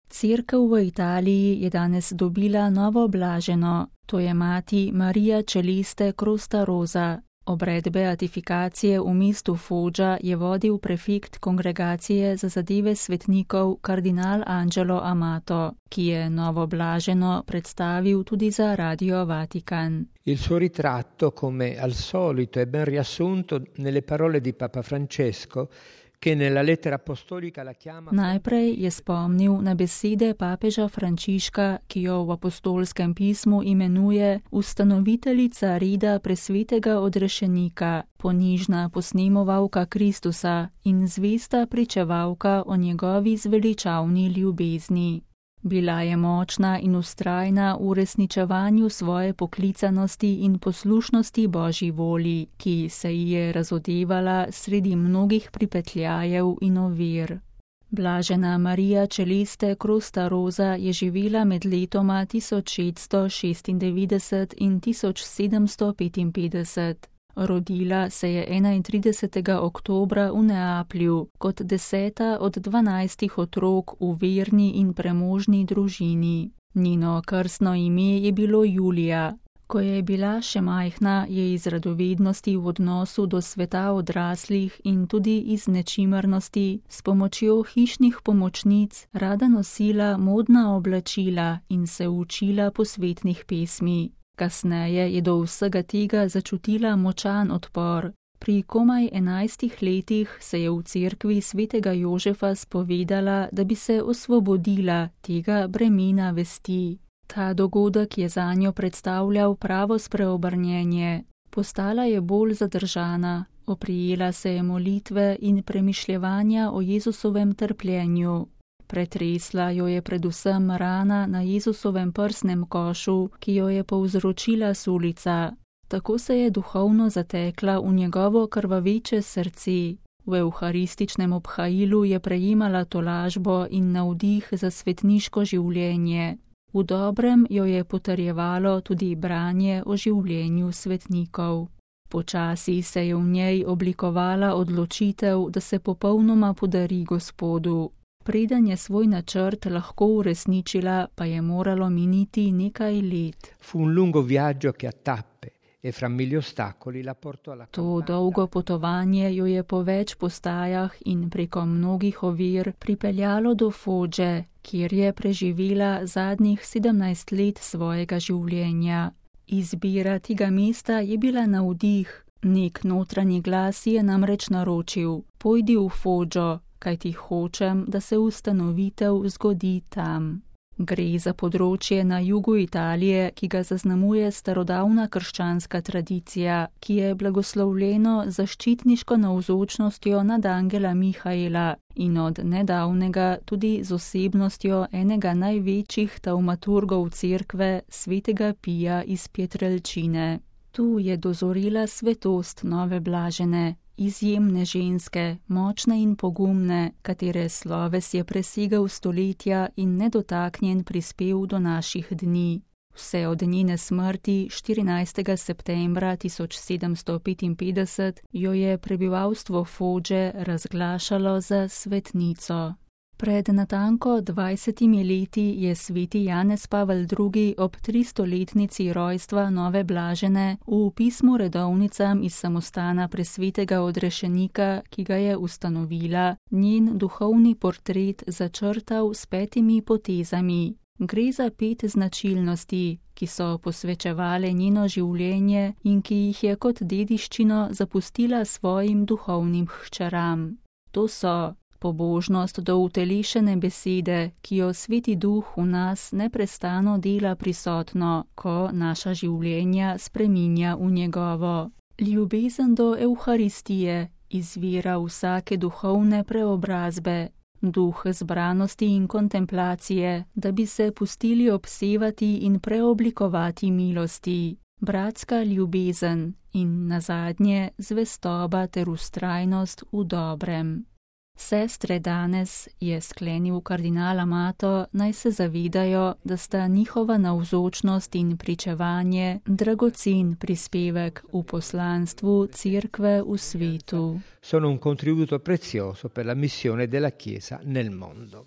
Cerkev v Italiji je danes dobila novo blaženo, to je mati Maria Celeste Crostarosa. Obred beatifikacije v mestu Foggia je vodil prefekt Kongregacije za zadeve svetnikov kardinal Angelo Amato, ki je novo blaženo predstavil tudi za Radio Vatikan. Il suo ritratto, come al solito, è ben riassunto nelle parole di Papa Francesco, che nella lettera apostolica la chiama... Najprej je spomnil na besede papeža Frančiška, ki jo v apostolskem pismu imenuje ustanoviteljica reda presvetega odrešenika, ponižna posnemovalka Kristusa in zvesta pričevalka o njegovi zveličavni ljubezni. Bila je močna in vztrajna v uresničevanju svoje poklicanosti in poslušnosti Božji volji, ki se ji je razodevala sredi mnogih pripetljajev in ovir. Blažena Maria Celeste Crostarosa je živela med letoma 1696 in 1755. Rodila se je 31. oktobra v Neaplju kot 10. od 12 otrok v verni in premožni družini. Njeno krstno ime je bilo Julija. Ko je bila še majhna, je iz radovednosti v odnosu do sveta odraslih in tudi iz nečimrnosti s pomočjo hišnih pomočnic rada nosila modna oblačila in se učila posvetnih pesmi. Kasneje je do vsega tega začutila močan odpor. Pri komaj 11 letih se je v cerkvi svetega Jožefa spovedala, da bi se osvobodila tega bremena vesti. Ta dogodek je zanjo predstavljal pravo spreobrnjenje. Postala je bolj zadržana, oprijela se je molitve in premišljevanja o Jezusovem trpljenju. Pretresla jo je predvsem rana na Jezusovem prsnem košu, ki jo je povzročila sulica. Tako se je duhovno zatekla v njegovo krvaveče srce. V evharističnem obhajilu je prejemala tolažbo in navdih za svetniško življenje. V dobrem jo je potrjevalo tudi branje o življenju svetnikov. Počasi se je v njej oblikovala odločitev, da se popolnoma podari Gospodu. Preden je svoj načrt lahko uresničila, pa je moralo miniti nekaj let. Fu un lungo viaggio che a tappe e fra mille ostacoli la portò alla To dolgo potovanje jo je po več postajah in preko mnogih ovir pripeljalo do Fogge, kjer je preživela zadnjih 17 let svojega življenja. Izbira tega mesta je bila navdih. Nek notranji glas je namreč naročil: pojdi v Foggio, kajti hočem, da se ustanovitev zgodi tam. Gre za področje na jugu Italije, ki ga zaznamuje starodavna krščanska tradicija, ki je blagoslovljeno zaščitniško navzočnostjo nad angela Mihaela in od nedavnega tudi z osebnostjo enega največjih taumaturgov cerkve, svetega Pija iz Pietrelcine. Tu je dozorela svetost nove blažene, izjemne ženske, močne in pogumne, katere sloves je presegal stoletja in nedotaknjen prispel do naših dni. Vse od njene smrti 14. septembra 1755 jo je prebivalstvo Fogge razglašalo za svetnico. Pred natanko 20 leti je sveti Janez Pavel II. Ob 300-letnici rojstva nove blažene v pismu redovnicam iz samostana presvetega odrešenika, ki ga je ustanovila, njen duhovni portret začrtal s 5 potezami. Gre za 5 značilnosti, ki so posvečevale njeno življenje in ki jih je kot dediščino zapustila svojim duhovnim hčeram. To so: pobožnost do utelešene besede, ki jo Sveti Duh v nas neprestano dela prisotno, ko naša življenja spreminja v njegovo. Ljubezen do Evharistije, izvira vsake duhovne preobrazbe. Duh zbranosti in kontemplacije, da bi se pustili obsevati in preoblikovati milosti. Bratska ljubezen in nazadnje zvestoba ter vztrajnost v dobrem. Sestre danes, je sklenil kardinal Amato, naj se zavedajo, da sta njihova navzočnost in pričevanje dragocen prispevek v poslanstvu cerkve v svetu. Sono un contributo prezioso per la missione della Chiesa nel mondo.